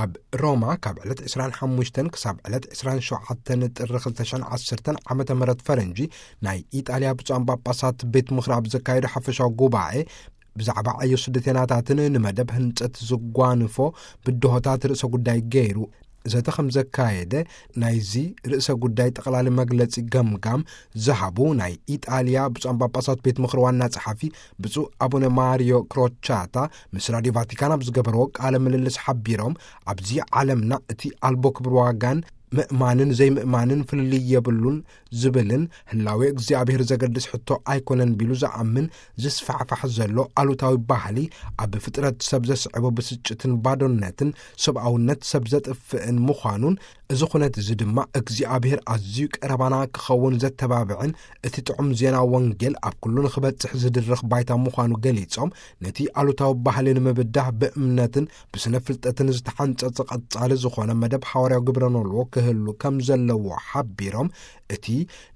ኣብ ሮማ ካብ ዕለት ዕስራን ሓሙሽተን ክሳብ ዕለት ዕስራን ሸውዓተን ጥሪ ክልተ ሽሕን ዓሰርተን ዓመተ ምህረት ፈረንጂ ናይ ኢጣልያ ብፁዓን ጳጳሳት ቤት ምኽሪ ኣብ ዘካየዶ ሓፈሻዊ ጉባኤ ብዛዕባ ዕዮ ስደተናታትን ንመደብ ህንጸት ዝጓንፎ ብድሆታት ርእሰ ጉዳይ ገይሩ ዘተ ከም ዘካየደ ናይዚ ርእሰ ጉዳይ ጠቕላሊ መግለጺ ገምጋም ዝሃቡ ናይ ኢጣልያ ብፁዓን ጳጳሳት ቤት ምኽሪ ዋና ጸሓፊ ብፁዕ ኣቡነ ማሪዮ ክሮቻታ ምስ ራዲዮ ቫቲካን ኣብ ዝገበርዎ ቃለ ምልልስ ሓቢሮም፣ ኣብዚ ዓለምና እቲ ኣልቦ ክብር ዋጋን ምእማንን ዘይምእማንን ፍልልይ የብሉን ዝብልን ህላዌ እግዚኣብሔር ዘገድስ ሕቶ ኣይኮነን ቢሉ ዝኣምን ዝስፋሕፋሕ ዘሎ ኣሉታዊ ባህሊ ኣብ ፍጥረት ሰብ ዘስዕቦ ብስጭትን ባዶነትን ሰብኣውነት ሰብ ዘጥፍእን ምዃኑን፣ እዚ ኩነት እዚ ድማ እግዚኣብሔር ኣዝዩ ቀረባና ክኸውን ዘተባብዕን እቲ ጥዑም ዜና ወንጌል ኣብ ኩሉ ንኽበጽሕ ዝድርኽ ባይታ ምዃኑ ገሊጾም፣ ነቲ ኣሉታዊ ባህሊ ንምብዳህ ብእምነትን ብስነ ፍልጠትን ዝተሓንጸጸ ቀጻሊ ዝኾነ መደብ ሓዋርያዊ ግብረ ኖልዎ ክህሉ ከም ዘለዎ ሓቢሮም፣ እቲ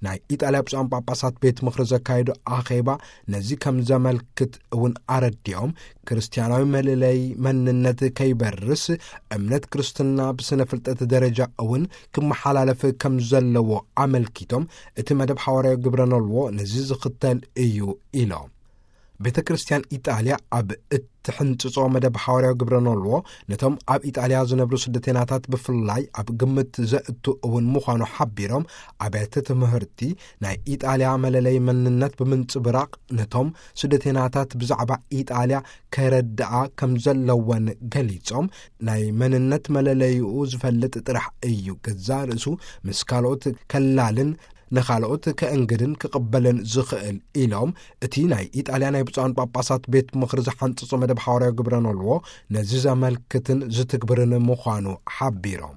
ናይ ኢጣልያ ብፁዓን ጳጳሳት ቤት ምኽሪ ዘካየዶ ኣኼባ ነዚ ከም ዘመልክት እውን ኣረዲኦም፣ ክርስትያናዊ መለለይ መንነት ከይበርስ እምነት ክርስትና ብስነ ፍልጠት ደረጃ እውን ክመሓላለፍ ከም ዘለዎ ኣመልኪቶም፣ እቲ መደብ ሓዋርያዊ ግብረ ኖልዎ ነዚ ዝኽተል እዩ ኢሎም። ቤተ ክርስቲያን ኢጣልያ ኣብ እትሕንጽጾ መደብ ሓዋርያዊ ግብረ ኖልዎ ነቶም ኣብ ኢጣልያ ዝነብሩ ስደተናታት ብፍላይ ኣብ ግምት ዘእቱ እውን ምዃኑ ሓቢሮም፣ ኣብያተ ትምህርቲ ናይ ኢጣልያ መለለይ መንነት ብምንጽብራቕ ነቶም ስደተናታት ብዛዕባ ኢጣልያ ከረድኣ ከም ዘለወን ገሊጾም፣ ናይ መንነት መለለይኡ ዝፈልጥ ጥራሕ እዩ ገዛእ ርእሱ ምስ ካልኦት ከላልን ንኻልኦት ከእንግድን ክቕበልን ዝኽእል ኢሎም፣ እቲ ናይ ኢጣልያ ናይ ብፁዓን ጳጳሳት ቤት ምኽሪ ዝሓንጽጾ መደብ ሓዋርያዊ ግብረ ኖልዎ ነዚ ዘመልክትን ዝትግብርን ምዃኑ ሓቢሮም።